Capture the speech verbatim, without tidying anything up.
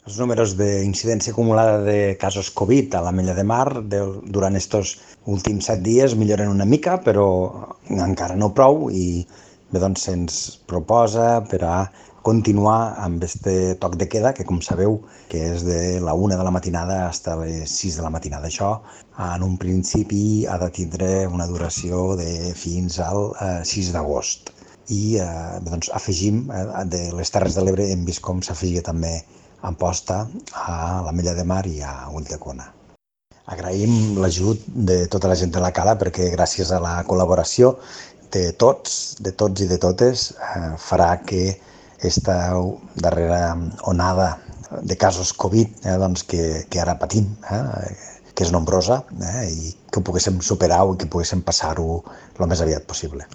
Els números d'incidència acumulada de casos Covid a l'Ametlla de Mar de, durant estos últims set dies milloren una mica, però encara no prou i bé, doncs se'ns proposa per a continuar amb este toc de queda, que com sabeu que és de la una de la matinada fins a les sis de la matinada. Això en un principi ha de tindre una duració de fins al eh, sis d'agost. I eh, doncs afegim, eh, de les Terres de l'Ebre hem vist com s'afegia també Amposta a l'Ametlla de Mar i a Ulldecona. Agraïm l'ajut de tota la gent de la cala perquè gràcies a la col·laboració de tots, de tots i de totes, eh, farà que esta darrera onada de casos Covid eh, doncs que, que ara patim, eh, que és nombrosa, eh, i que ho poguéssim superar i que poguéssim passar-ho el més aviat possible.